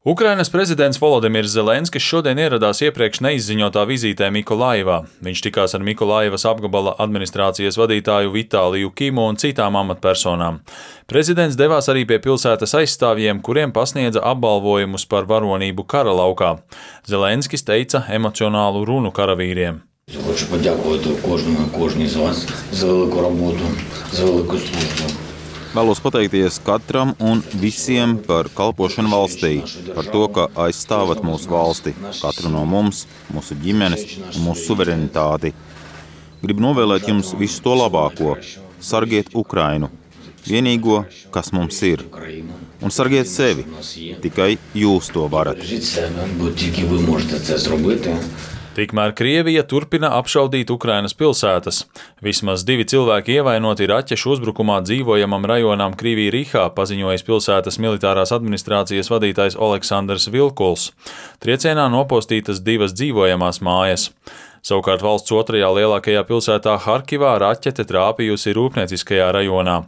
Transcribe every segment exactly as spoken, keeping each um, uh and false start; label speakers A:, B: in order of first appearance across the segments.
A: Ukrainas prezidents Volodimirs Zelenskis šodien ieradās iepriekš neizziņotā vizītē Mikolaivā. Viņš tikās ar Mikolaivas apgabala administrācijas vadītāju Vitāliju Kimu un citām amatpersonām. Prezidents devās arī pie pilsētas aizstāvjiem, kuriem pasniedza apbalvojumus par varonību kara laukā. Zelenskis teica emocionālu runu karavīriem.
B: Хочу подякувати кожному, кожній з вас за велику роботу, за велику службу.
C: Vēlos pateikties katram un visiem par kalpošanu valstī, par to, ka aizstāvat mūsu valsti, katru no mums, mūsu ģimenes un mūsu suverenitāti. Gribu novēlēt jums visu to labāko, sargiet Ukrainu, vienīgo, kas mums ir, un sargiet sevi, tikai jūs to varat.
A: Tikmēr Krievija turpina apšaudīt Ukrainas pilsētas. Vismaz divi cilvēki ievainoti raķešu uzbrukumā dzīvojamam rajonām Krivī-Rihā, paziņojis pilsētas militārās administrācijas vadītājs Oleksandrs Vilkuls. Triecienā nopostītas divas dzīvojamās mājas. Savukārt valsts otrajā lielākajā pilsētā Harkivā raķete trāpījusi rūpnieciskajā rajonā.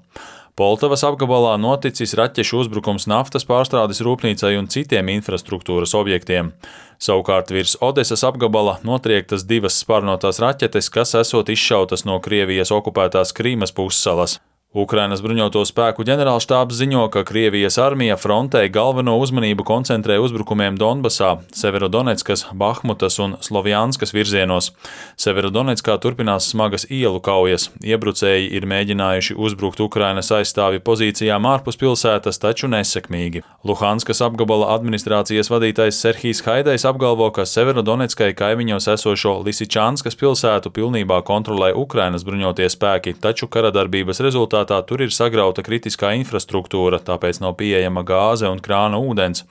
A: Poltavas apgabalā noticis raķešu uzbrukums naftas pārstrādes rūpnīcai un citiem infrastruktūras objektiem. Savukārt virs Odesas apgabala notriektas divas sparnotās raķetes, kas esot izšautas no Krievijas okupētās Krīmas pussalas. Ukrainas bruņoto spēku ģenerālštābs ziņo, ka Krievijas armija frontē galveno uzmanību koncentrē uzbrukumiem Donbasā, Severodoneckas, Bahmutas un Slovjanskas virzienos. Severodonetskā turpinās smagas ielu kaujas. Iebrucēji ir mēģinājuši uzbrukt Ukrainas aizstāvju pozīcijām ārpus pilsētas, taču nesekmīgi. Luhanskas apgabala administrācijas vadītājs Serhijs Haidejs apgalvo, ka Severodonetskai kaimiņos esošo Lisičanskas pilsētu pilnībā kontrolē Ukrainas bruņotie spēki, taču karadarbības rezultātā Tā tur ir sagrauta kritiskā infrastruktūra, tāpēc nav pieejama gāze un krāna ūdens.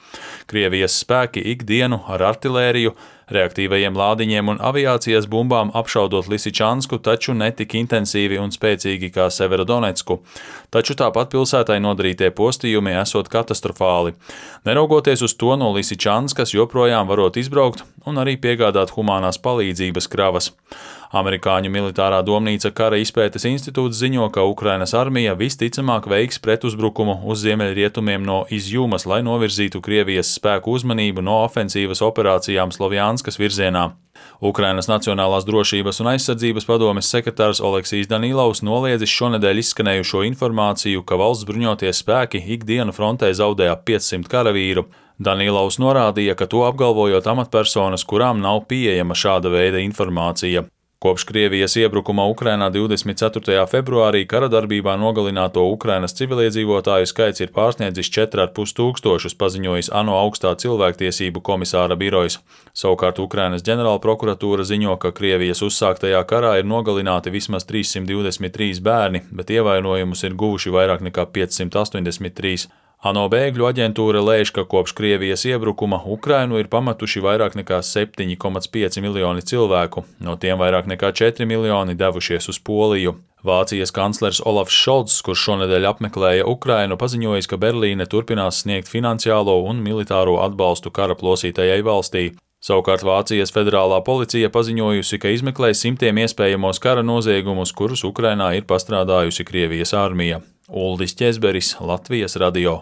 A: Krievijas spēki ikdienu ar artilēriju, reaktīvajiem lādiņiem un aviācijas bumbām apšaudot Lisičansku, taču netik intensīvi un spēcīgi kā Severodonetsku. Taču tāpat pilsētai nodarītie postījumi esot katastrofāli. Neraugoties uz to, no Lisičanskas joprojām varot izbraukt un arī piegādāt humānās palīdzības kravas. Amerikāņu militārā domnīca Kara izpētes institūts ziņo, ka Ukrainas armija visticamāk veiks pretuzbrukumu uz ziemeļrietumiem no Izjumas, lai novirzītu Krievijas spēku uzmanību no ofensīvas operācijām Slovjanskas virzienā. Ukrainas Nacionālās drošības un aizsardzības padomes sekretārs Oleksijs Danilovs noliedzis šonedēļ izskanējušo informāciju, ka valsts bruņotie spēki ikdienu frontē zaudē ap piecsimt karavīru. Danilovs norādīja, ka to apgalvojot amatpersonas, kurām nav pieejama šāda veida informācija. Kopš Krievijas iebrukuma Ukrainā divdesmit ceturtajā februārī karadarbībā nogalināto Ukrainas civiliedzīvotāju skaits ir pārsniedzis četri ar pus tūkstošus, paziņojis ANO augstā cilvēktiesību komisāra birojs. Savukārt Ukrainas ģenerālprokuratūra ziņo, ka Krievijas uzsāktajā karā ir nogalināti vismaz trīssimt divdesmit trīs bērni, bet ievainojumus ir guvuši vairāk nekā piecsimt astoņdesmit trīs. ANO bēgļu aģentūra lēš, ka kopš Krievijas iebrukuma Ukrainu ir pametuši vairāk nekā septiņi komats pieci miljoni cilvēku, no tiem vairāk nekā četri miljoni devušies uz Poliju. Vācijas kanclers Olafs Šolts, kurš šonedēļ apmeklēja Ukrainu, paziņojis, ka Berlīne turpinās sniegt finansiālo un militāro atbalstu kara plosītajai valstī. Savukārt Vācijas federālā policija paziņojusi, ka izmeklē simtiem iespējamos kara noziegumus, kurus Ukrainā ir pastrādājusi Krievijas armija. Uldis Ķezberis, Latvijas radio.